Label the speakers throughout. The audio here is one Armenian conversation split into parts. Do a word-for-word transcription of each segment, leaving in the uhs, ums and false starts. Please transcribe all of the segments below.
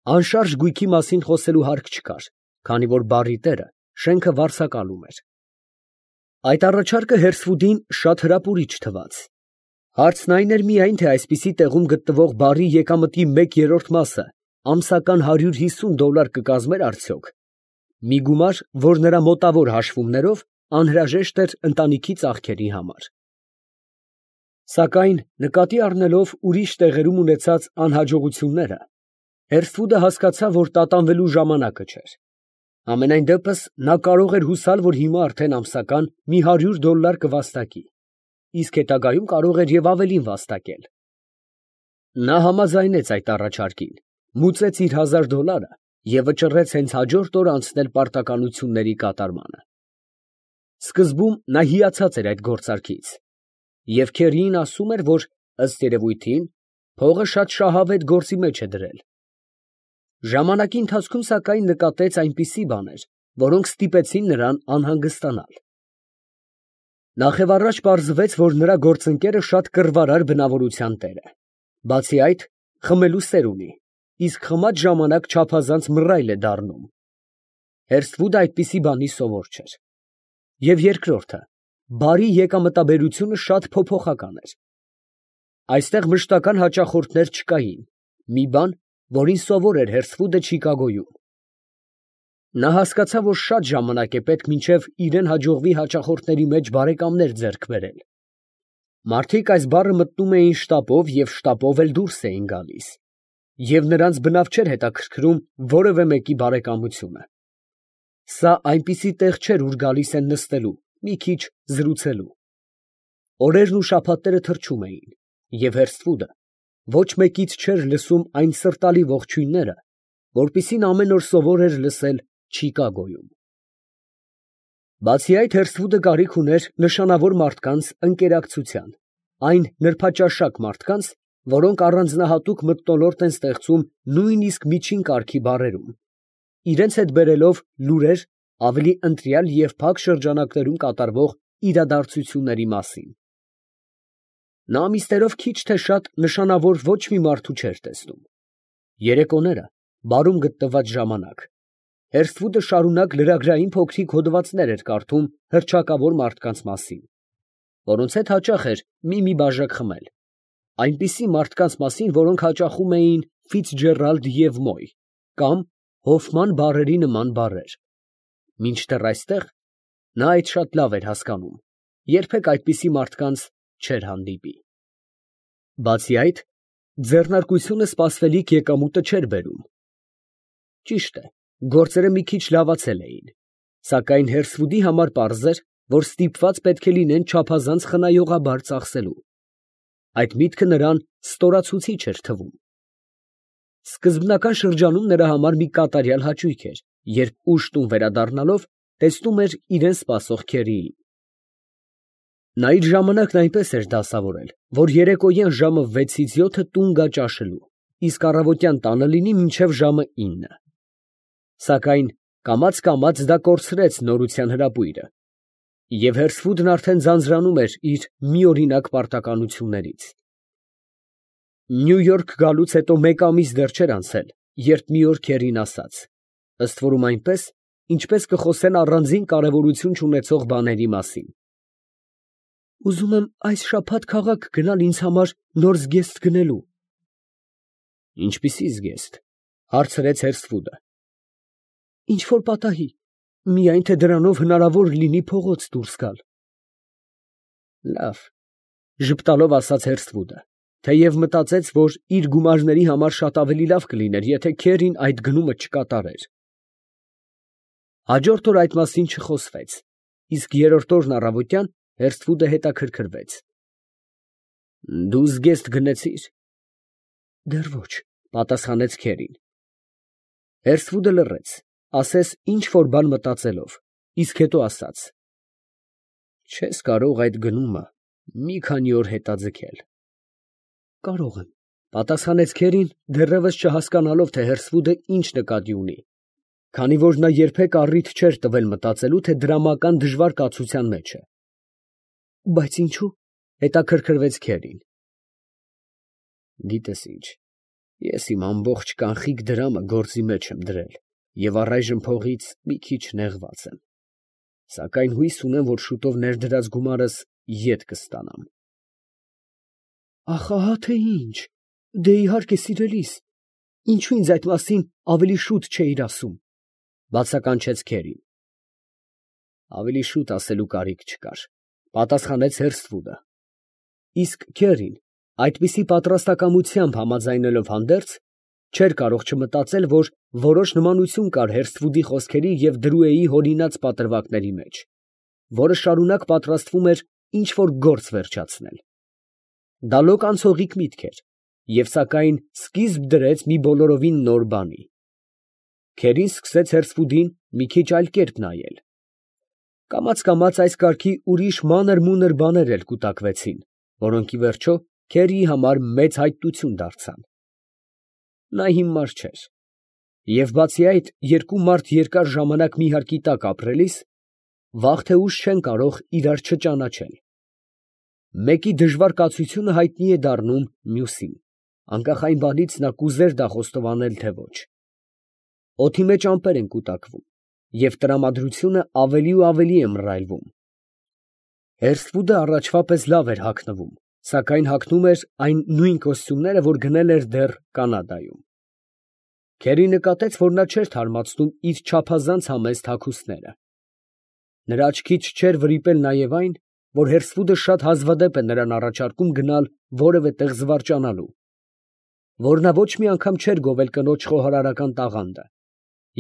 Speaker 1: Անշարժ գույքի մասին խոսելու հարկ չկար, քանի որ բառի տերը շենքը վարձակալում էր։ Այդ առաջարկը Հերսվուդին շատ հրապուրիչ թվաց։ Հարցն այն էր միայն, թե այսպիսի տեղում գտնվող բառի եկամտի մեկ երրորդ մասը ամսական հարյուր հիսուն դոլար կկազմեր արդյոք, մի գումար, որ նրա մոտավոր հաշվումներով անհրաժեշտ էր ընտանիքի ծախքերի համար։ Սակայն նկատի առնելով ուրիշ տեղերում ունեցած անհաջողությունները, Հերսվուդը հասկացավ, որ տատանվելու ժամանակը չէր։ Համենայն դեպս նա կարող էր հուսալ, որ հիմա արդեն ամսական մի հարյուր դոլար կվաստակի, իսկ հետագայում կարող էր և ավելին վաստակել։ Նա համաձայնեց այդ առաջարկին, մուծեց իր հազար դոլարը և վճռեց հենց հաջորդ օրը անցնել պարտականությունների կատարմանը։ Սկզբում նա հիացած էր այդ գործարքից և քերիին ասում էր, որ, ըստ երևույթին, փողը շատ շահավետ գործի մեջ է դրել։ Ժամանակի ընթացքում, սակայն, նկատեց այնպիսի բաներ, որոնք ստիպեցին նրան անհանգստանալ։ Նախևառաջ պարզվեց, որ նրա գործընկերը շատ կռվարար բնավորության տեր է, բացի այդ, խմելու սեր ունի, իսկ խմած ժամանակ չափազանց մռայլ է դառնում։ Հերսվուդը այդպիսի բանի սովոր չէր։ Եվ երկրորդը, բարի եկամտաբերությունը շատ փոփոխական էր։ Այստեղ մշտական հաճախորդներ չկային, մի բան, որին սովոր էր Հերսվուդը Չիկագոյում։ Նա հասկացավ, որ շատ ժամանակ է պետք մինչև իրեն հաջողվի հաճախորդների մեջ բարեկամներ ձեռք բերել։ Մարդիկ այս բառը մտնում էին շտապով և շտապով էլ դուրս էին գալիս, և նրանց բնավ չէր հետաքրքրում որևէ մեկի բարեկամությունը։ Սա այնպիսի տեղ չէր, ուր գալիս են նստելու, մի քիչ զրուցելու։ Օրերն ու շաբաթները թռչում էին, և Հերսվուդը ոչ մեկից չէր լսում այն սրտալի ողջույնները, որպիսին ամեն օր սովոր էր լսել Չիկագոյում։ Բացի այդ, Հերսվուդը կարիք ուներ նշանավոր մարդկանց ընկերակցության, այն նրբաճաշակ մարդկանց, որոնք առանձնահատուկ մթնոլորտ են ստեղծում նույնիսկ միջին կարգի բառերում, իրենց հետ բերելով լուրեր ավելի ընտրյալ և փակ շրջանակներում կատարվող իրադարձությունների մասին։ Նա ամիսներով քիչ թե շատ նշանավոր ոչ մի մարդու չէր տեսնում։ Երեկոները, բարում գտնված ժամանակ, Հերսվուդը շարունակ լրագրային փոքրիկ հոդվածներ էր կարդում հռչակավոր մարդկանց մասին, որոնց հետ հաճախ էր մի-մի բաժակ խմել, այնպիսի մարդկանց մասին, որոնք հաճախում էին Ֆիցջերալդ և Մոյ կամ Հոֆման բառերի նման բառեր։ Մինչդեռ այստեղ նա այդ շատ լավ էր հասկանում, երբեք այդպիսի մարդկանց չէր հանդիպի։ Բացի այդ, ձեռնարկությունը սպասվելիք եկամուտը չէր բերում։ Ճիշտ է, գործերը մի քիչ լավացել էին, սակայն Հերսվուդի համար պարզ էր, որ ստիպված պետք է լինեն չափազանց խնայողաբար ծախսելու։ Այդ միտքը նրան ստորացուցիչ էր թվում։ Սկզբնական շրջանում նրա համար մի կատարյալ հաճույք էր, երբ ուշ տուն վերադառնալով տեսնում էր իրեն սպասող քերիին։ Նա իր ժամանակն այնպես էր դասավորել, որ երեկոյան ժամը վեցից յոթը տուն գա ճաշելու, իսկ առավոտյան տանը լինի մինչև ժամը ինը։ Սակայն կամաց֊կամաց դա կորցրեց նորության հրապույրը, և Հերսվուդն արդեն ձանձրանում էր իր միօրինակ պարտականություններից։ Նյու Յորք գալուց հետո մեկ ամիս դեռ չէր անցել, երբ մի օր քերին ասաց, ըստ որում այնպես, ինչպես կխոսեն առանձին կարևորություն չունեցող բաների մասին. «Ուզում եմ այս շաբաթ քաղաք գնալ ինձ համար նոր զգեստ գնելու»։ ֊ Ինչպիսի զգեստ, ֊ հարցրեց Հերսվուդը։ ֊ Ինչ֊որ պատահի, միայն թե դրանով հնարավոր լինի փողոց դուրս գալ։ ֊ Լավ, ֊ ժպտալով ասաց Հերսվուդը, թեև մտածեց, որ իր գումարների համար շատ ավելի լավ կլիներ, եթե քերին այդ գնումը չկատարեր։ Հաջորդ օր այդ մասին չխոսվեց, իսկ երրորդ օրն առավոտյան Հերսվուդը հետաքրքրվեց. ֊ Դու զգեստ գնեցի՞ր։ ֊ Դեռ ոչ, ֊ պատասխանեց քերին։ Հերսվուդը լռեց, ասես ինչ֊որ բան մտածելով, իսկ հետո ասաց. ֊ Չես կարող այդ գնումը մի քանի օր հետաձգել։ ֊ Կարող եմ, ֊ պատասխանեց քերին, դեռևս չհասկանալով, թե Հերսվուդը ինչ նկատի ունի, քանի որ նա երբեք առիթ չէր տվել մտածելու, թե դրամական դժվար կացության մեջ է։ ֊ Բայց ինչո՞ւ, ֊ հետաքրքրվեց քերին։ ֊ Գիտես ինչ, Ես իմ ամբողջ կանխիկ դրամը գործի մեջ եմ դրել և առայժմ փողից մի քիչ նեղված եմ, սակայն հույս ունեմ, որ շուտով ներդրած գումարս ետ կստանամ։ Ախ, ահա թե ինչ, դե իհարկե սիրելիս, ինչու ինձ այդ մասին ավելի շուտ չէիր ասում, բացականչեց Քերին։ Ավելի շուտ ասելու կարիք չկար, պատասխանեց Հերսթվուդը։ Իսկ Քերին այդպիսի պատրաստակամությամբ համաձայնելով հանդերձ, չէր կարող չմտածել, որ որոշ նմանություն կար Հերսթվուդի խոսքերի և Դրուեի հորինած պատրվակների մեջ, որը շարունակ պատրաստվում էր ինչ֊որ գործ վերջացնել։ Դա լոկ անցողիկ միտք էր և սակայն սկիզբ դրեց մի բոլորովին նոր բանի։ Քերին սկսեց Հերսթվուդին մի քիչ այլ կերպ նայել։ Կամաց֊կամաց այս կարգի ուրիշ մանր֊մունր բաներ էլ կուտակվեցին, որոնք ի վերջո Քերիի համար մեծ հայտություն դարձան։ Նա հիմար չէր, և բացի այդ, երկու մարդ երկար ժամանակ մի հարկի տակ ապրելիս, վաղ թե ուշ չեն կարող իրար չճանաչել։ Մեկի դժվար կացությունը հայտնի է դառնում մյուսին, անկախ այն բանից նա կուզեր դա խոստովանել, թե ոչ։ Օդի մեջ ամպեր են կուտակվում, և տրամադրությունը ավելի ու ավելի է մռայլվում։ Հերսթվուդը առաջվա պես լավ էր հագնվում, սակայն հագնում էր այն նույն կոստյումները, որ գնել էր դեռ Կանադայում։ Քերին նկատեց, որ նա չէր թարմացնում իր չափազանց համեստ հագուստները։ Նրա աչքից չէր վրիպել նաև այն, որ Հերսթվուդը շատ հազվադեպ է նրան առաջարկում գնալ որևէ տեղ զվարճանալու, որ նա ոչ մի անգամ չէր գովել կնոջ խոհարարական տաղանդը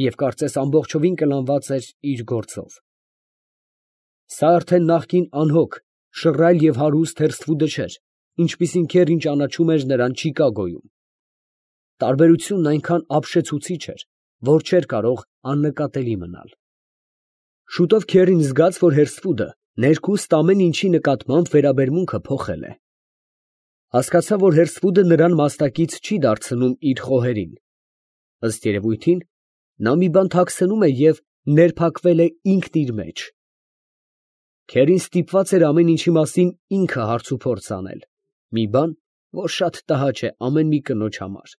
Speaker 1: և կարծես ամբողջովին կլանված էր իր գործով։ Սա արդեն նախկին անհոգ, շռայլ և հարուստ Հերսթվուդը չէր, ինչպիսին Քերին ճանաչում էր նրան Չիկագոյում։ Տարբերությունն այնքան ապշեցուցիչ էր, որ չէր կարող աննկատելի մնալ։ Շուտով Քերին զգաց, որ Հերսթվուդը ներքուստ ամեն ինչի նկատմամբ վերաբերմունքը փոխել է։ Հասկացավ, որ Հերսթվուդը նրան մասնակից չի դարձնում իր խոհերին։ Ըստ երևույթին, նա մի բան թաքցնում է և ներփակվել է ինքն իր մեջ։ Քերին ստիպված էր ամեն ինչի մասին ինքը հարցուփորձ անել, մի բան, որ շատ տհաճ է ամեն մի կնոջ համար։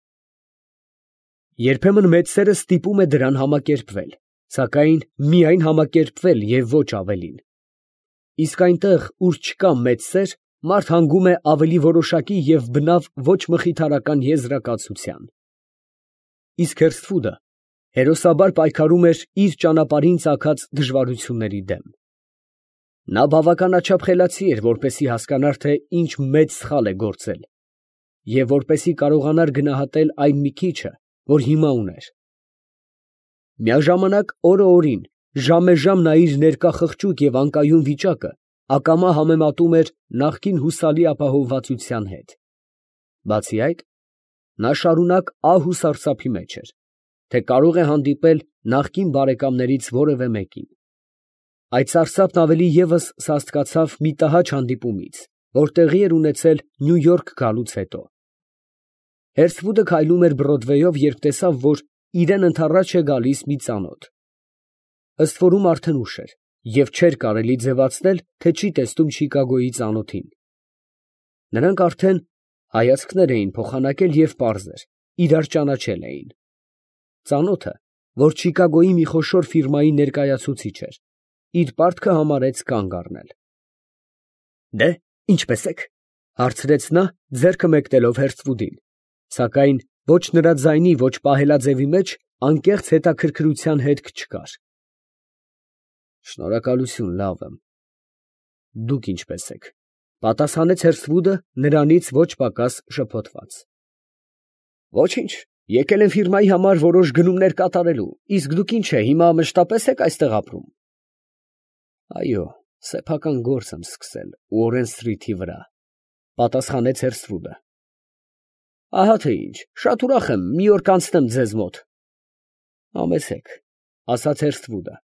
Speaker 1: Երբեմն մեծ սերը ստիպում է դրան համակերպվել, սակայն միայն համակերպվել և ոչ ավելին։ Իսկ այնտեղ, ուր չկա մեծ սեր, մարդ հանգում է ավելի որոշակի և բնավ ոչ մխիթարական եզրակացության։ Իսկ Հերսթվուդը հերոսաբար պայքարում էր իր ճանապարհին ծագած դժվարությունների դեմ։ Նա բավականաչափ խելացի էր, որպեսզի հասկանար, թե ինչ մեծ սխալ է գործել, և որպեսզի կարողանար գնահատել այն մի քիչը, որ հիմա ուներ։ Միաժամանակ օրը օրին, ժամեժամ նա իր ներկա խղճուկ և անկայուն վիճակը ակամա համեմատում էր նախկին հուսալի ապահովվածության հետ։ Բացի այդ, նա շարունակ ահ ու սարսափի մեջ էր, թե կարող է հանդիպել նախկին բարեկամներից որևէ մեկին։ Այդ սարսափն ավելի ևս սաստկացավ մի տհաճ հանդիպումից, որ տեղի էր ունեցել Նյու Յորք գալուց հետո։ Հերսթվուդը քայլում էր Բրոդվեյով, երբ տեսավ, որ իրան ընդառաջ է գալիս մի ծանոթ։ Ըստ որում արդեն ուշ էր, և չէր կարելի ձևացնել, թե չի տեսնում Չիկագոյի ծանոթին։ Նրանք արդեն հայացքներ էին փոխանակել և պարզ էր, իրար ճանաչել էին։ Ծանոթը, որ Չիկագոյի մի խոշոր ֆիրմայի ներկայացուցիչ էր, իր պարտքը համարեց կանգ առնել։ ֊ Դե՞, ինչպե՞ս եք, ֊ հարցրեց նա, ձեռքը մեկնելով Հերսթվուդին, սակայն ոչ նրա ձայնի, ոչ պահելաձևի մեջ անկեղծ հետաքրքրության հետք չկար։ ֊ Շնորհակալություն, լավ եմ։ ֊ Դուք ինչպե՞ս եք, ֊ պատասխանեց Հերսթվուդը նրանից ոչ պակաս շփոթված։ ֊ Ոչինչ, եկել եմ ֆիրմայի համար որոշ գնումներ կատարելու, իսկ դուք ինչ է, հիմա մշտապես եք այստեղ ապրում։ ֊ Այո, սեփական գործ եմ սկսել Ուորեն Սթրիթի վրա, ֊ պատասխանեց Հերսթվուդը։ ֊ Ահա թե ինչ, շատ ուրախ եմ մի օր կանցնեմ ձեզ մոտ։ ֊ Համեցեք, ֊ ասաց Հերսթվուդը։ ֊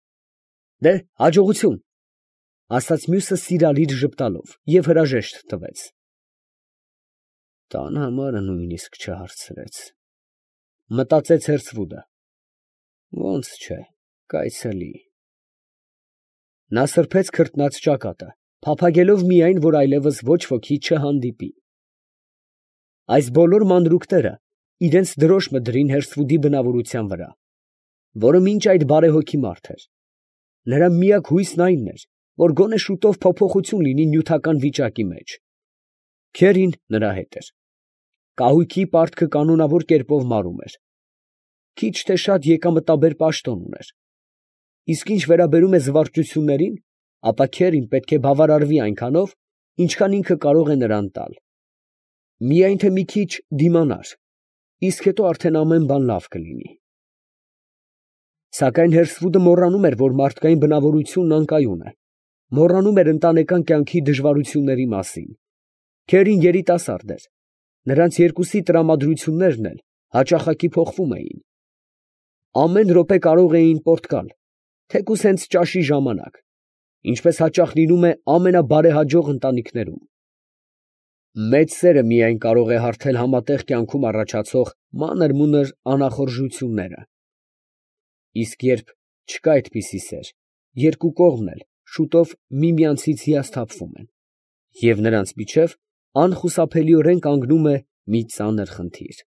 Speaker 1: Դե, հաջողություն, ֊ ասաց մյուսը սիրալիր ժպտալով և հրաժեշտ տվեց։ Տան համարը նույնիսկ չհարցրեց, ֊ մտածեց Հերսթվուդը։ Ոնց չէ, կայցելի։ Նա սրբեց քրտնած ճակատը, փափագելով միայն, որ այլևս ոչ ոքի չհանդիպի։ Այս բոլոր մանրուքները իրենց դրոշմը դրին Հերսվուդի բնավորության վրա, որը մինչ այդ բարեհոգի մարդ էր. նրա միակ հույսն այն էր, որ գոնե շուտով փոփոխություն լինի նյութական վիճակի մեջ։ Քերին նրա հետ էր։ Կահույքի պարտքը կանոնավոր կերպով մարում էր։ Քիչ թե շատ եկամտաբեր պաշտոն ուներ։ Իսկ ինչ վերաբերում է զվարճություններին, ապա Քերին պետք է բավարարվի այնքանով, ինչքան ինքը կարող է նրան տալ։ Միայն թե մի քիչ դիմանար, իսկ հետո արդեն ամեն բան լավ կլինի։ Սակայն Հերսվուդը մոռանում էր, որ մարդկային բնավորությունն անկայուն է, մոռանում էր ընտանեկան կյանքի դժվարությունների մասին։ Քերին երիտասարդ էր, նրանց երկուսի տրամադրություններն էլ հաճախակի փոխվում էին։ Ամեն րոպե կարող էին պորտկալ, թեկուզ հենց ճաշի ժամանակ, ինչպես հաճախ լինում է ամենաբարեհաջող ընտանիքներում։ Մեծ սերը միայն կարող է հարթել համատեղ կյանքում առաջացող մանր֊մունր անախորժությունները։ Իսկ երբ չկա այդպիսի սեր, երկու կողմն էլ շուտով միմյանցից հիասթափվում են, և նրանց միջև անխուսափելիորեն կանգնում է մի ծանր խնդիր։